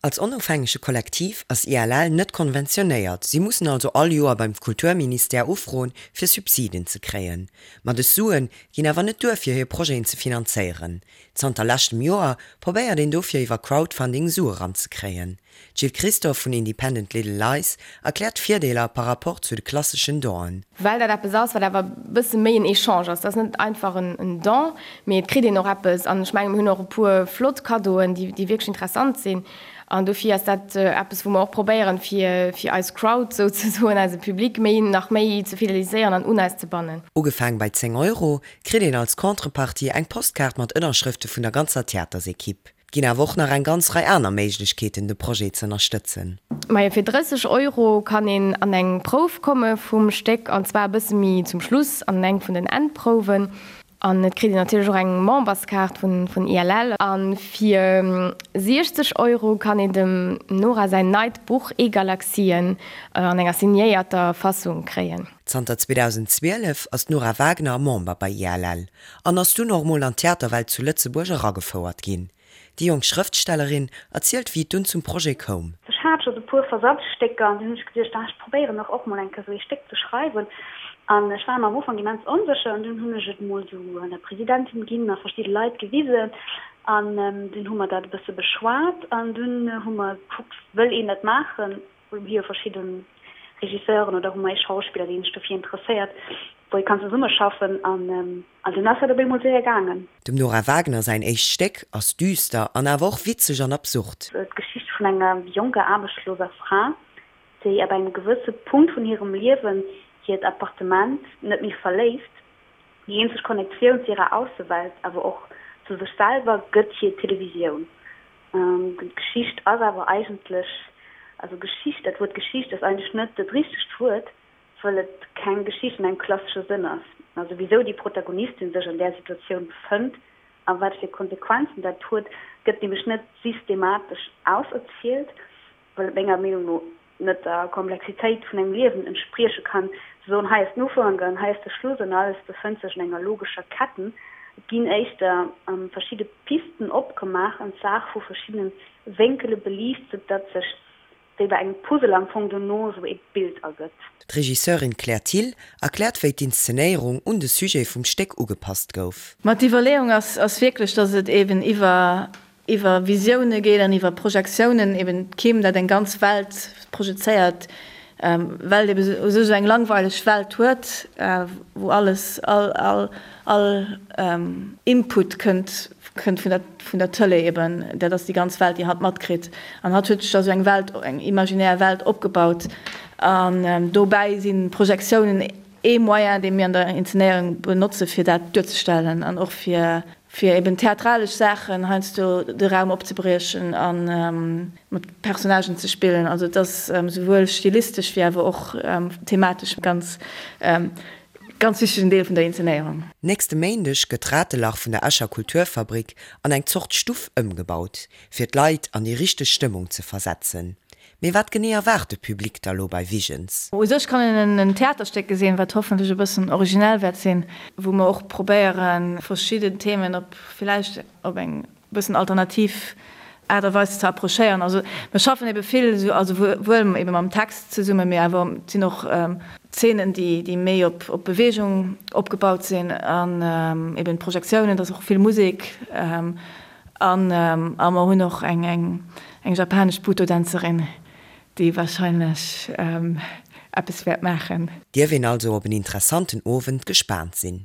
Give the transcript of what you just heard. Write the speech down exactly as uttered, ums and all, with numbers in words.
Als onofhängege Kollektiv ass I L L net konventionéiert. Si mussen also all Joer beim Kulturministère ufroen, fir Subsiden ze kréien. Ma dës Sue ginn awer net duer fir hir Projeten ze finanzéieren. Zanter leschtem Joer probéiert een dofir iwwer Crowdfunding Sue ranzekréien. Jill Christoph vun Independent Little Lies erkläert Virdeeler par rapport zu de klasseschen Donen. Well dat eppes ass, wat awer bësse méi en Echange ass. Dat ass net einfach en, en Don, mee et kritt een och eppes an ech mengen mir hunn och e puer flott Cadeauen, déi, déi wierklech interessant sinn. An dofir ass dat äh, eppes wou mer och probéieren fir, fir eis Crowd souzesoen eise Public méi nach méi ze fideliséieren an un eis ze bannen. Ugefaange bei zéng Euro kritt een als Contrepartie eng Postkaart mat Ënnerschrëfte vun der ganzer Theatersekipp. Ginn awer och nach eng ganz Rei aner Méiglechkeeten de Projet ze ënnerstëtzen. Ma fir drësseg Euro kann een an eng Prouf komme vum Stéck an zwar bësse méi zum Schluss an eng vun den Endprouwen. An et kritt een natierlech och eng Memberskaart vun, vun I L L. An fir siechzeg Euro kann een dem Nora säin neit Buch E-Galaxien äh, an enger signéierter Fassung kréien. Zanter zweedausendzwielef ass d'Nora Wagner Member bei I L L an ass dunn och mol an d'Theaterwelt zu Lëtzebuerg eragefouert ginn. Déi jonk Schrëftstellerin erzielt wéi et dunn zum Projet koum. Ech hat schonn e puer Versatzstécker an dunn hunn ech geduecht, ah, ech probéieren och och mol eng Kéier sou e Stéck ze schreiwen. An ech war am Ufank immens onsécher an dunn hunn ech et mol sou un der Presidentin ginn a verschidde Leit gewisen an ähm, dunn hu mer dat e bësse beschwat an dunn hu mer gekuckt, wëll een dat maachen, hu mir verschidde Regisseuren oder hu mer ee Schauspiller, deen sech dofir interesséiert, wou ee kann zesummeschaffen an ähm, an dunn ass dat op eemol séier gaangen. Dem Nora Wagner säin éischt Stéck ass düster an awer och witzeg an absurd. D'Geschicht vun enger jonker aarbechtsloser Fra, déi ab engem gewësse Punkt vun hirem Liewen hiert Appartement net méi verléisst. Déi eenzeg Connectioun zu hirer Aussewelt, awer och zu sech selwer gëtt hir Televisioun. Ähm, D'Geschicht ass awer eigentlech also Geschicht, dat Wuert Geschicht ass eigentlech net dat richtegt Wuert, well et keng Geschicht an engem klassesche Sënn ass. Also wisou déi Protagonistin sech an där Situatioun befënnt a wat fir Konsequenzen dat huet, gëtt nämlech net systematesch auserzielt, well et menger Meenung no net der Komplexitéit vun engem Liewen entsprieche kann. Ze soen, hei ass den Ufank an hei ass de Schluss an alles befënnt sech an enger logescher Ketten. Et ginn éischter ähm, verschidde Pisten opgemaach an d'Saach vu verschiddene Wénkele beliicht, soudatt sech wéi bei engem Puzzle am Fong dono sou e Bild ergëtt. D'Regisseurin Claire Thill erkläert wéi d'Inszenéierung un de Sujet vum Stéck ugepasst gouf. Ma d'Iwwerleeung ass, ass wierklech, dass et eben iwwer iwwer Visioune geet an iwwer Projektiounen eben d'Kim dat eng ganz Welt projezéiert, ähm, well eben sou sou eng langweileg Welt huet, äh, wou alles all all all ähm, Input kënnt kënnt vun der vun der Tëlee eben, dat ass déi ganz Welt déi hatt matkritt. An hatt huet sech da sou eng Welt eng imaginär Welt opgebaut an ähm, dobäi si Projektiounen ee Moyen dee mir an der Inszenéierung benotze fir dat duerzestellen an och fir fir eben theatralesch Saachen heiansdo de Raum opzebriechen an ähm, mat Personnagen ze spillen. Also dat ass ähm, souwuel stilistesch wéi awer och ähm, thematesch ganz ähm, ganz wichtegen Deel vun der Inszenéierung. Nächste Méindeg gëtt d'Ratelach vun der Escher Kulturfabrik an eng Zort Stuff ëmgebaut, fir d'Leit an déi richteg Stëmmung ze versetzen. Mee wat genee erwaart de Public da lo bei Visions? U sech kann een en Theaterstéck gesinn, wat hoffentlech e bëssen originell wäert sinn, wou mer och probéieren verschidden Themen op villäicht op eng bëssen alternativ Aart a Weis ze approchéieren. Also mir schaffen ebe vill sou also wuel ebe mam Text zesummen, mee awer et sinn och Zeenen, déi déi méi op op Beweegung opgebaut sinn an eben Projektiounen, et ass och vill Musek an a mer hunn och eng eng eng japanesch Butoh-Dänzerin, déi warscheinlech eppes wäert maachen. Dierf een also op en interessanten Owend gespaant sinn.